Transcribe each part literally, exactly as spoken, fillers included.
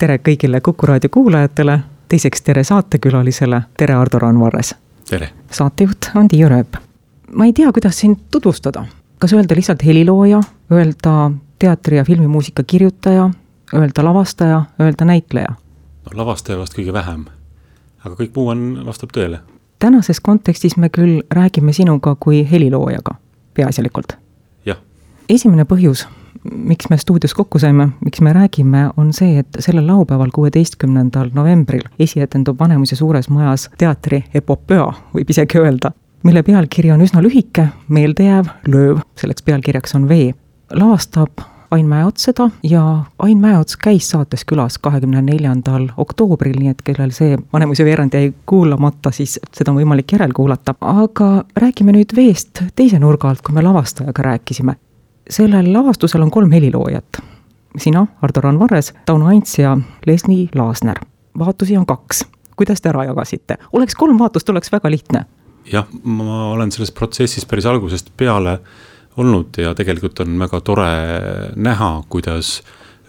tere kõigile Kuku raadio kuulajatele, teiseks tere saatekülalisele, tere Ardo Randvares. Tere. Saatejuht on Tiiu Rööp. Ma ei tea, kuidas sind tutvustada. Kas öelda lihtsalt helilooja, öelda teatri- ja filmimuusika kirjutaja, öelda lavastaja, öelda näitleja? No, lavastaja vast kõige vähem, aga kõik muu on, vastab tõele. Tänases kontekstis me küll räägime sinuga kui heliloojaga, peaasjalikult. Jah. Esimene põhjus, miks me stuudios kokku saime, miks me räägime, on see, et sellel laupäeval kuueteistkümnendal novembril esietendub Vanemuise suures majas teatri epopöa, võib isegi öelda, mille pealkiri on üsna lühike, meeldejääv, lööv, selleks pealkirjaks on V. Lavastab Ain Mäeots seda ja Ain Mäeots käis saates külas kahekümne neljandal oktoobril, nii et kellel see Vanemuise veerand jäi kuulamata, siis seda on võimalik järel kuulata. Aga räägime nüüd V'st teise nurga alt, kui me lavastajaga rääkisime. Sellel lavastusel on kolm heliloojat. Sina, Ardo Randvares, Tauno Aints ja Leslie Laasner. Vaatusi on kaks. Kuidas te ära jagasite? Oleks kolm vaatust, oleks väga lihtne. Jah, ma olen selles protsessis päris algusest peale olnud ja tegelikult on väga tore näha, kuidas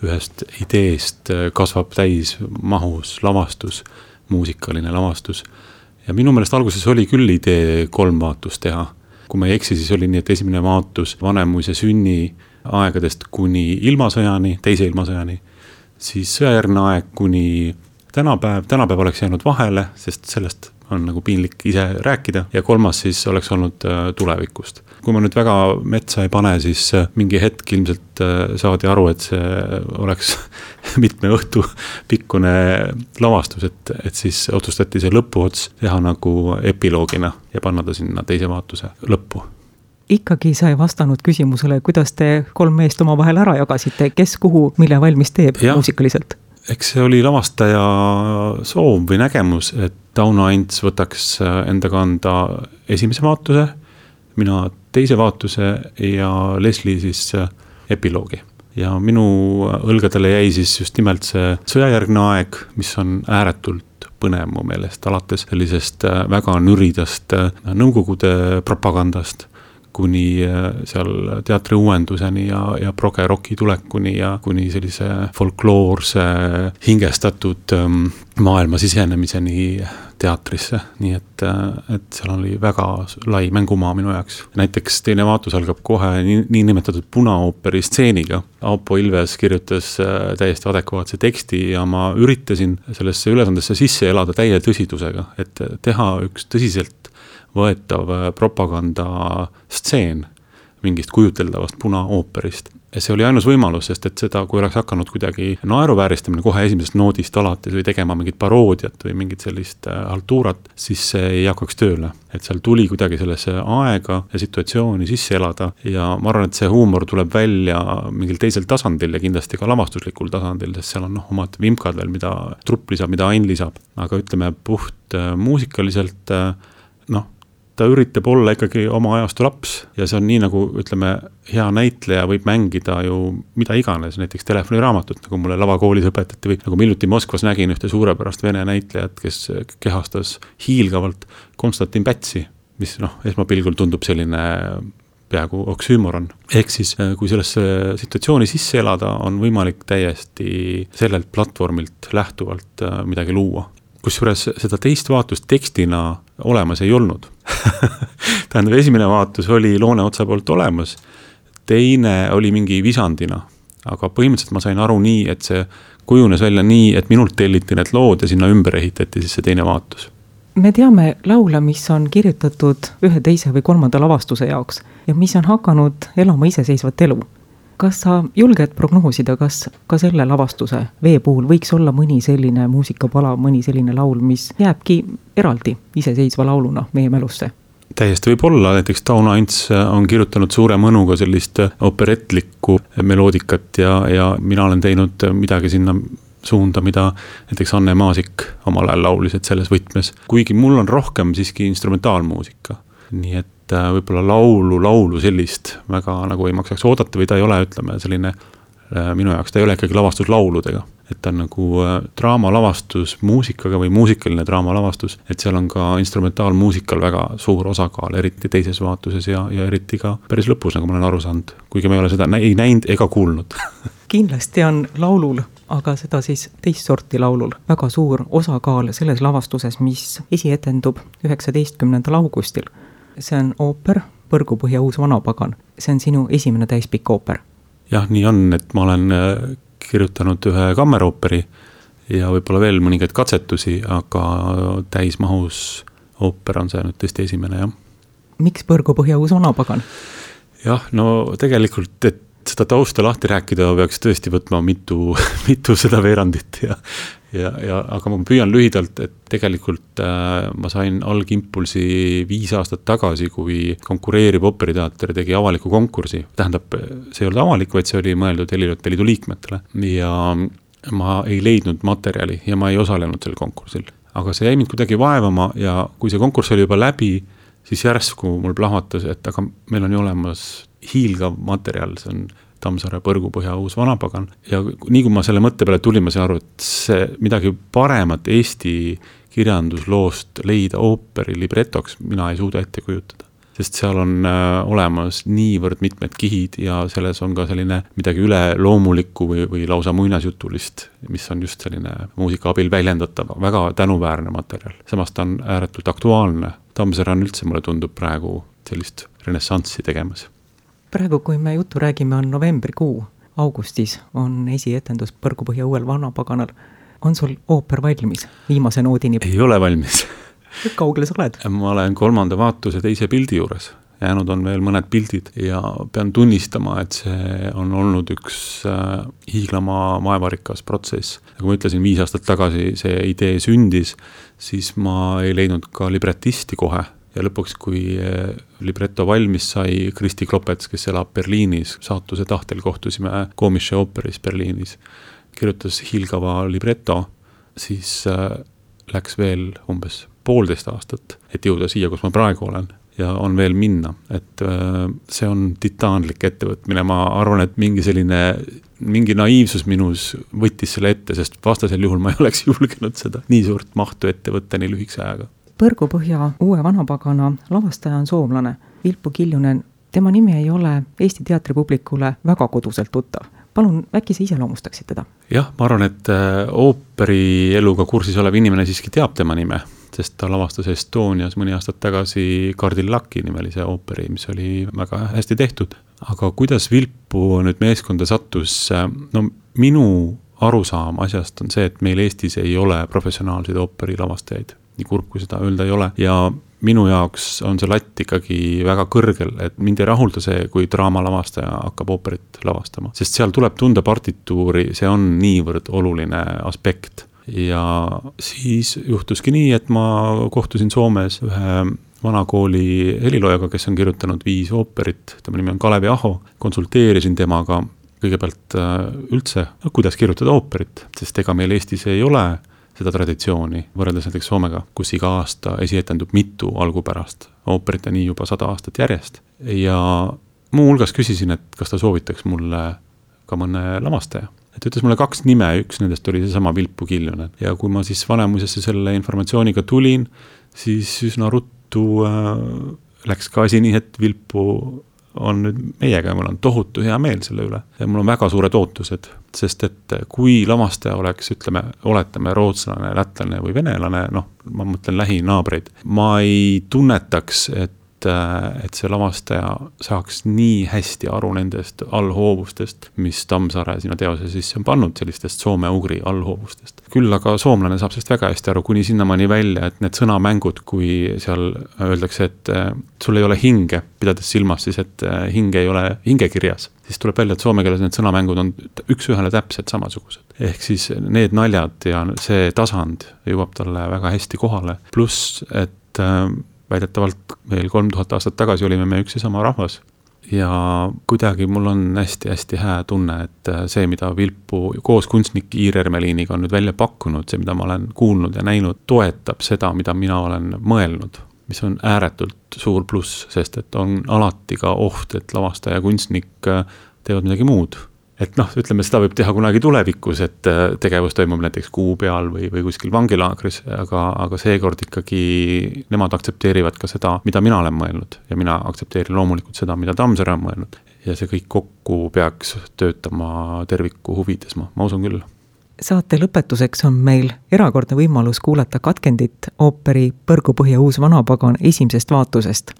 ühest ideest kasvab täis mahus lavastus, muusikaline lavastus. Ja minu meelest alguses oli küll idee kolm vaatust teha. Kui ma ei eksi, siis oli nii, et esimene vaatus Vanemuise sünni aegadest kuni ilmasõjani, teise ilmasõjani, siis sõjajärgne aeg kuni tänapäev, tänapäev oleks jäänud vahele, sest sellest on nagu piinlik ise rääkida ja kolmas siis oleks olnud tulevikust. Kui ma nüüd väga metsa ei pane, siis mingi hetk ilmselt saadi aru, et see oleks mitme õhtu pikkune lavastus, et, et siis otsustati see lõpuots teha nagu epiloogina ja panna ta sinna teise vaatuse lõppu. Ikkagi sa ei vastanud küsimusele, kuidas te kolm meest oma vahel ära jagasite, kes kuhu, mille valmis teeb ja muusikaliselt? Eks see oli lavastaja soov või nägemus, et Tauno Aints võtaks enda kanda esimese vaatuse, mina teise vaatuse ja Leslie siis epiloogi. Ja minu õlgadele jäi siis just nimelt see sõjajärgne aeg, mis on ääretult põnev mu meelest, alates sellisest väga nüridast nõukogude propagandast, kuni seal teatri uuenduseni ja, ja proge rocki tulekuni ja kuni sellise folkloorse hingestatud maailma sisenemiseni teatrisse. Nii et, et seal oli väga lai mängumaa minu jaoks. Näiteks teine vaatus algab kohe nii, nii nimetatud punaooperi stseeniga. Aupo Ilves kirjutas täiesti adekvaatse teksti ja ma üritasin sellesse ülesandesse sisse elada täie tõsidusega, et teha üks tõsiselt võetav propaganda stseen mingist kujuteldavast punaooperist. Ja see oli ainus võimalus, sest et seda, kui oleks hakanud kuidagi naeruvääristamine kohe esimesest noodist alates või tegema mingit paroodiat või mingit sellist haltuurat, siis see ei hakkaks tööle. Et seal tuli kuidagi sellesse aega ja situatsiooni sisse elada ja ma arvan, et see huumor tuleb välja mingil teisel tasandil ja kindlasti ka lavastuslikul tasandil, sest seal on noh, omad vimkad veel, mida trupp lisab, mida Ain lisab. Aga ütleme puht muusikaliselt, noh, ta üritab olla ikkagi oma ajastu laps ja see on nii nagu, ütleme, hea näitleja võib mängida ju mida iganes, näiteks telefoniraamatut, nagu mulle lavakoolis õpetati või nagu miljuti Moskvas nägin ühte suurepärast vene näitlejat, kes kehastas hiilgavalt Konstantin Pätsi, mis noh, esmapilgul tundub selline peaaegu oksüümoron. Ehk siis, kui sellesse situatsiooni sisse elada, on võimalik täiesti sellelt platvormilt lähtuvalt midagi luua. Kusjuures seda teist vaatust tekstina olemas ei olnud. Tähendab, esimene vaatus oli Loone otsa poolt olemas, teine oli mingi visandina, aga põhimõtteliselt ma sain aru nii, et see kujunes välja nii, et minult telliti need lood ja sinna ümber ehitati siis see teine vaatus. Me teame laule, mis on kirjutatud ühe teise või kolmanda lavastuse jaoks ja mis on hakanud elama iseseisvat elu. Kas sa julged prognoosida, kas ka selle lavastuse V puhul võiks olla mõni selline muusikapala, mõni selline laul, mis jääbki eraldi iseseisva lauluna meie mälusse? Täiesti võib olla, näiteks Tauno Aints on kirjutanud suure mõnuga sellist operetlikku meloodikat ja, ja mina olen teinud midagi sinna suunda, mida näiteks Anne Maasik omal ajal laulis, et selles võtmes. Kuigi mul on rohkem siiski instrumentaalmuusika, nii et võib-olla laulu, laulu sellist väga nagu ei maksaks oodata või ta ei ole, ütleme, selline minu jaoks, ta ei ole ikkagi lavastus lauludega. Et ta on nagu draamalavastus muusikaga või muusikaline draamalavastus, et seal on ka instrumentaalmuusikal väga suur osakaal, eriti teises vaatuses ja, ja eriti ka päris lõpus, nagu ma olen aru saanud, kuigi ma ei ole seda ei näinud ega kuulnud. kindlasti on laulul, aga seda siis teist sorti laulul, väga suur osakaal selles lavastuses, mis esietendub üheksateistkümnendal augustil. See on ooper Põrgupõhja uus vanapagan. See on sinu esimene täispikk ooper. Jah, nii on, et ma olen kirjutanud ühe kammerooperi ja võib-olla veel mõningaid katsetusi, aga täismahus ooper on see nüüd tõesti esimene, jah. Miks Põrgupõhja uus vanapagan? Jah, no tegelikult, et seda tausta lahti rääkida peaks tõesti võtma mitu, mitu seda veerandit ja, ja, ja aga ma püüan lühidalt, et tegelikult äh, ma sain algimpulsi viis aastat tagasi, kui konkureeriv ooperiteater tegi avaliku konkursi. Tähendab, see ei olnud avalik, vaid see oli mõeldud Heliloote Liidu liikmetele ja ma ei leidnud materjali ja ma ei osalenud sel konkursil. Aga see jäi mind kuidagi vaevama ja kui see konkurss oli juba läbi, siis järsku mul plahvatas, et aga meil on ju olemas hiilgav materjal, see on Tammsaare Põrgupõhja uus vanapagan. Ja nii kui ma selle mõtte peale tulin, ma sain aru, et see midagi paremat Eesti kirjandusloost leida ooperi libretoks, mina ei suuda ette kujutada. Sest seal on äh, olemas niivõrd mitmed kihid ja selles on ka selline midagi üle loomulikku või, või lausa muinasjutulist, mis on just selline muusika abil väljendatav, väga tänuväärne materjal. Samas ta on ääretult aktuaalne. Tammsaare on üldse, mulle tundub praegu sellist renessanssi tegemas. Praegu, kui me juttu räägime, on novembrikuu. Augustis on esietendus Põrgupõhja uuel vanapaganal. On sul ooper valmis viimase noodini? Ei ole valmis. Kaugele sa oled? Ma olen kolmanda vaatuse teise pildi juures. Jäänud on veel mõned pildid ja pean tunnistama, et see on olnud üks äh, hiiglama maevarikas protsess. Nagu ma ütlesin, viis aastat tagasi see idee sündis, siis ma ei leidnud ka libretisti kohe. Ja lõpuks, kui libretto valmis sai, Kristi Klopets, kes elab Berliinis, saatuse tahtel kohtusime Komische ooperis Berliinis, kirjutas hiilgava libretto, siis äh, läks veel umbes poolteist aastat, et jõuda siia, kus ma praegu olen ja on veel minna. Et äh, see on titaanlik ettevõtmine. Ma arvan, et mingi selline, mingi naiivsus minus võttis selle ette, sest vastasel juhul ma ei oleks julgenud seda nii suurt mahtu ette võtta nii lühikese ajaga. Põrgupõhja uue vanapagana lavastaja on soomlane Vilpu Kiljunen. Tema nimi ei ole Eesti teatripublikule väga koduselt tuttav. Palun, äkki sa iseloomustaksid teda? Jah, ma arvan, et ooperi eluga kursis olev inimene siiski teab tema nime, sest ta lavastas Estonias mõni aastat tagasi Kardillaki nimelise ooperi, mis oli väga hästi tehtud. Aga kuidas Vilpu nüüd meeskonda sattus? No minu arusaam asjast on see, et meil Eestis ei ole professionaalseid ooperi lavastajaid. Nii kurb, kui seda öelda ei ole. Ja minu jaoks on see latt ikkagi väga kõrgel, et mind ei rahulda see, kui draamalavastaja hakkab ooperit lavastama. Sest seal tuleb tunda partituuri, see on niivõrd oluline aspekt. Ja siis juhtuski nii, et ma kohtusin Soomes ühe vanakooli heliloojaga, kes on kirjutanud viis ooperit, tema nimi on Kalevi Aho, konsulteerisin temaga kõigepealt üldse, kuidas kirjutada ooperit, sest ega meil Eestis ei ole seda traditsiooni, võrreldes näiteks Soomega, kus iga aasta esietendub mitu algupärast ooperit ja nii juba sada aastat järjest. Ja muu hulgas küsisin, et kas ta soovitaks mulle ka mõne lavastaja. Et ütles mulle kaks nime, üks nendest oli seesama Vilpu Kiljunen. Ja kui ma siis Vanemuisesse selle informatsiooniga tulin, siis üsna ruttu äh, läks ka asi nii, et Vilpu on nüüd meiega ja mul on tohutu hea meel selle üle. Ja mul on väga suured ootused, sest et kui lavastaja oleks, ütleme, oletame rootslane, lätlane või venelane, noh, ma mõtlen lähinaabreid, ma ei tunnetaks, et, et see lavastaja saaks nii hästi aru nendest allhoovustest, mis Tammsaare sinna teose sisse on pannud, sellistest soome-ugri allhoovustest. Küll aga soomlane saab sellest väga hästi aru, kuni sinnamaani välja, et need sõnamängud, kui seal öeldakse, et sul ei ole hinge, pidades silmas siis, et hinge ei ole hingekirjas, siis tuleb välja, et soome keeles need sõnamängud on üks ühele täpselt samasugused. Ehk siis need naljad ja see tasand jõuab talle väga hästi kohale. Plus, et väidetavalt veel kolm tuhat aastat tagasi olime me üks ja sama rahvas. Ja kuidagi mul on hästi-hästi hää tunne, et see, mida Vilpu koos kunstnik Iir Ermeliiniga on nüüd välja pakkunud, see, mida ma olen kuulnud ja näinud, toetab seda, mida mina olen mõelnud, mis on ääretult suur pluss, sest et on alati ka oht, et lavastaja ja kunstnik teevad midagi muud. Et noh, ütleme, seda võib teha kunagi tulevikus, et tegevus toimub näiteks kuu peal või, või kuskil vangilaagris, aga, aga seekord ikkagi nemad aktsepteerivad ka seda, mida mina olen mõelnud ja mina aktsepteerin loomulikult seda, mida Tammsaare on mõelnud. ja see kõik kokku peaks töötama terviku huvides, ma, ma usun küll. Saate lõpetuseks on meil erakordne võimalus kuulata katkendit ooperi Põrgupõhja uus vanapagan esimesest vaatusest.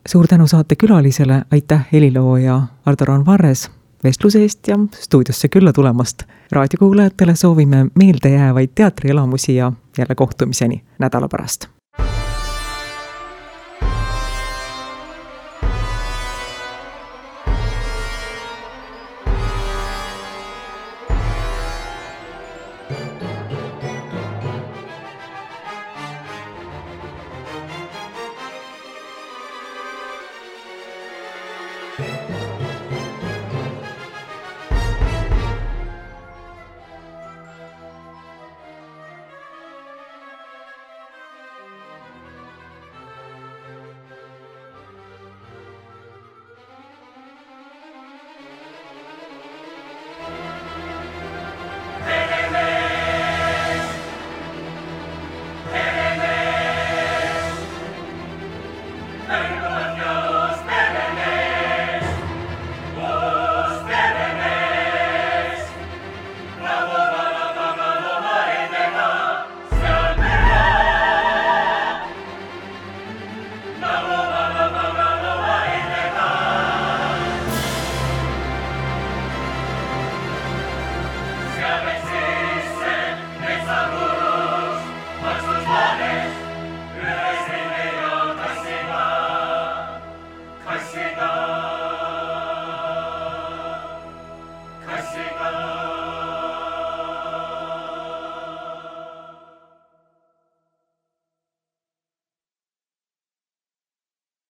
Suur tänu saate külalisele, aitäh helilooja Ardo-Raan Varres vestluse eest ja stuudiosse külla tulemast. Raadiokuulajatele soovime meeldejäävaid teatrielamusi ja jälle kohtumiseni nädala pärast.